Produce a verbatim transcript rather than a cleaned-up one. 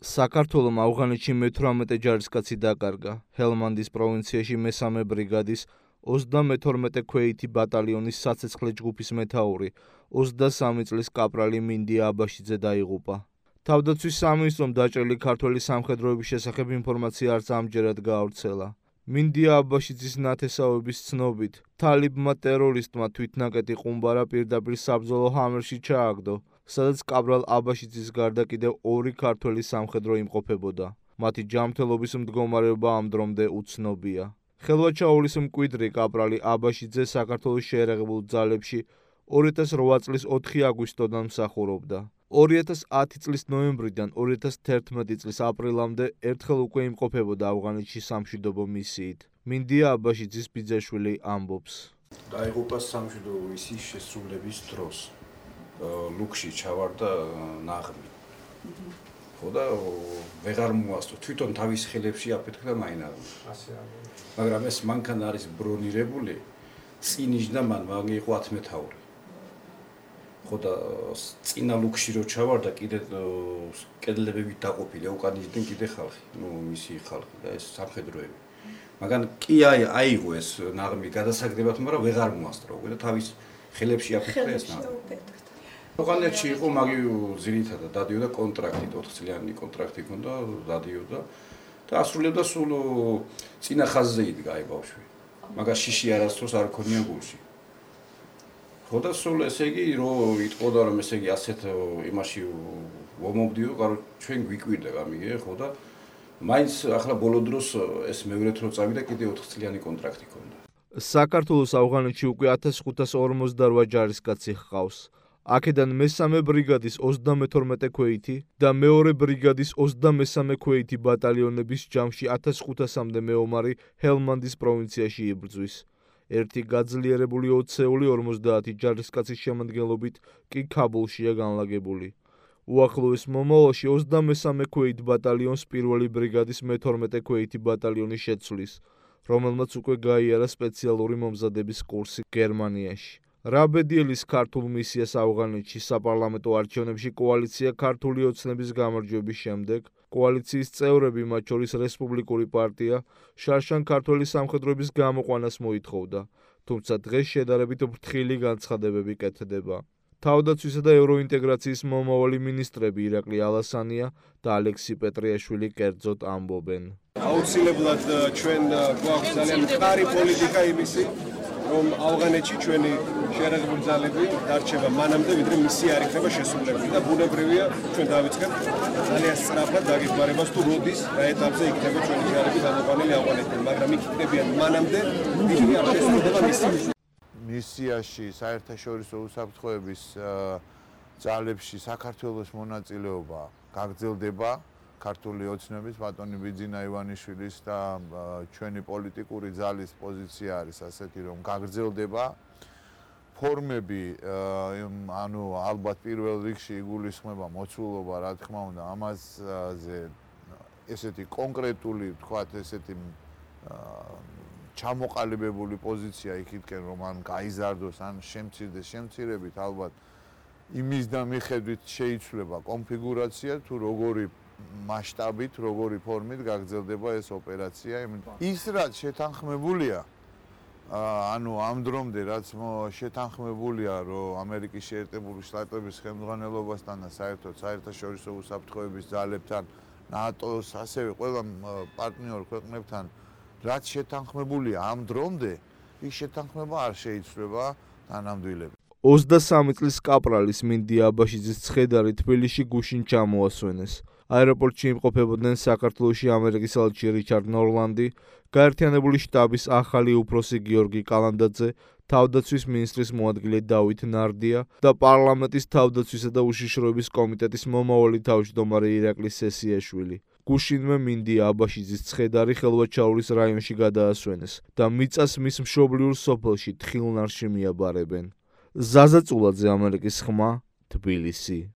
საქართველომ ავღანეთში მეთვრამეტე ჯარისკაცი დაკარგა. ჰელმანდის პროვინციაში მესამე ბრიგადის ოცდამეთორმეტე ქვეითი ბატალიონის საცეცხლე ჯგუფის მეთაური, ოცდასამი წლის კაპრალი მინდია აბაშიძე დაიღუპა. თავდაცვის სამინისტრომ დაჭრილი ქართველი სამხედროების შესახებ ინფორმაცია არც ამჯერად გაავრცელა. მინდია აბაშიძის ნათესავების ცნობით, თალიბმა ტერორისტმა თვითნაკეტი ყუმბარა პირდაპირ საბრძოლო ჰამერში ჩააგდო, სადაც კაპრალ აბაშიძის გარდა კიდევ ორი ქართველი სამხედრო იმყოფებოდა. მათი ჯანმრთელობის მდგომარეობა ამ დრომდე უცნობია. ხელვაჩაურის მკვიდრი კაპრალი აბაშიძე საქართველოს შეერაღებულ ძალებში ორი ათას რვა წლის ოთხი აგვისტოდან მსახურობდა. ორი ათას ათი წლის ნოემბრიდან ორი ათას თერთმეტი წლის აპრილამდე ერთხელ უკვე იმყოფებოდა ავღანეთში სამშვიდობო მისიით. მინდია აბაშიძის ბიძაშვილი ამბობს. დაიღუპა სამშვიდობო მისიის შესრულების დროს. ლუქში ჩავარდა ნაღმი. ხო და ვეღარ მოასწრო. თვითონ თავის ხელებში აფეთქდა მაინარმა. მაგრამ ეს მანქანა არის ბრონირებული, წინიშდა მან მაგ იყო ათმეთაური. ხო და წინა ლუქში რო ჩავარდა, კიდე კედლებებით დაყოფილი, უკანიჯდნენ კიდე ხალხი, ნუ მისი ხალხი და ეს სამხედროები. მაგრამ კი აიღო ეს ნაღმი გადასაგდებად, მაგრამ ვეღარ მოასწრო უკვე და თავის ხელებში აფეთქდა ეს ნაღმი. ავღანეთში იყო მაგი ძირითადად დადიოდა კონტრაქტით, ოთხ წლიანი კონტრაქტი ჰქონდა, დადიოდა და ასრულებდა სულ წინა ხაზზე იდგა აი ბავშვი. მაგას შიში არასდროს არ ქონია გულში. ხო და სულ ესე იგი რო იტყოდა რომ ესე იგი ასეთ იმაში ვომობდიო, კარო ჩვენ გვიკვირდა გამიგე, ხო და მაინც ახლა ბოლო დროს ეს მეორედ რო წავიდა კიდე ოთხ წლიანი კონტრაქტი ჰქონდა. საქართველოს ავღანეთში უკვე ათას ხუთას ორმოცდარვა ჯარისკაცი ჰყავს. აქედან მესამე ბრიგადის ოცდამეთორმეტე ქვეითი და მეორე ბრიგადის ოცდამესამე ქვეითი ბატალიონების ჯამში ათას ხუთასამდე მეომარი ჰელმანდის პროვინციაში იბრძვის. ერთი გაძლიერებული ოცეული ორმოცდაათი ჯარისკაცის შემადგენლობით კი ქაბულშია განლაგებული. უახლოეს მომავალში ოცდამესამე ქვეით ბატალიონს პირველი ბრიგადის მეთორმეტე ქვეითი ბატალიონი შეცვლის, რომელმაც უკვე გაიარა სპეციალური მომზადების კურსი გერმანიაში. რაბედიელის ქართულ მისიას ავღანეთში საპარლამენტო არჩევნებში კოალიცია ქართული ოცნების გამარჯვების შემდეგ კოალიციის წევრები, მათ შორის რესპუბლიკური პარტია, შარშან ქართველი სამხედროების გამოყვანას მოითხოვდა, თუმცა დღეს შედარებით ფრთხილი განცხადებები კეთდება. თავდაცვისა და ევროინტეგრაციის მომავალი მინისტრები ირაკლი ალასანია და ალექსი პეტრიაშვილი კერძოდ ამბობენ. აუცილებლად ჩვენ გვაქვს ძალიან მყარი პოლიტიკა იმისი, რომ ავღანეთში ჩვენი შეერაღებული ძალები დარჩება მანამდე, ვიდრე მისი არ იქნება შესრულებული და ბუნებრივია ჩვენ დავიწყებთ ძალიან სწრაფად დაგეგმარებას თუ როდის რა ეტაპზე იქნება ჩვენი ძალები გამოყვანილი ავღანეთიდან, მაგრამ იქ იქნებიან მანამდე, ვიდრე არ შესრულდება მისი. მისიაში საერთაშორისო უსაფრთხოების ძალებში საქართველოს მონაწილეობა გაგრძელდება. ქართული ოცნების ბატონი ბიძინა ივანიშვილის და ჩვენი პოლიტიკური ძალის პოზიცია არის ასეთი, რომ გაგრძელდება. ფორმები, ანუ ალბათ პირველ რიგში იგულისხმება მოცულობა, რა თქმა უნდა, ამაზე ესეთი კონკრეტული, თქვათ, ესეთი ჩამოყალიბებული პოზიცია იქითკენ, რომ ან გაიზარდოს, ან შემცირდეს, შემცირებით ალბათ იმის და მიხედვით შეიცვლება კონფიგურაცია, თუ როგორი მასშტაბით, როგორი ფორმით გაგრძელდება ეს ოპერაცია. ის რაც შეთანხმებულია, ანუ ამ დრომდე რაც შეთანხმებულია, რომ ამერიკის შეერთებული შტატების ხელმძღვანელობასთან და საერთოდ საერთაშორისო უსაფრთხოების ძალებთან, ნატოს, ასევე ყველა პარტნიორ ქვეყნებთან, რაც შეთანხმებულია ამ დრომდე, ის შეთანხმება არ შეიცვლება თანამდვილებით. ოცდასამი წლის კაპრალის მინდია აბაშიძის ცხედარი თბილისში გუშინ ჩამოასვენეს. აეროპორტში იმყოფებოდნენ საქართველოში ამერიკის ელჩი რიჩარდ ნორლანდი, გაერთიანებული შტაბის ახალი უფროსი გიორგი კალანდაძე, თავდაცვის მინისტრის მოადგილე დავით ნარდია და პარლამენტის თავდაცვისა და უშიშროების კომიტეტის მომავალი თავმჯდომარე ირაკლი სესიაშვილი. გუშინვე მინდია აბაშიძის ცხედარი ხელვაჩაურის რაიონში გადაასვენეს და მიწას მის მშობლიურ სოფელში თხილნარში მიაბარებენ. ზაზა წულაძე, ამერიკის ხმა, თბილისი.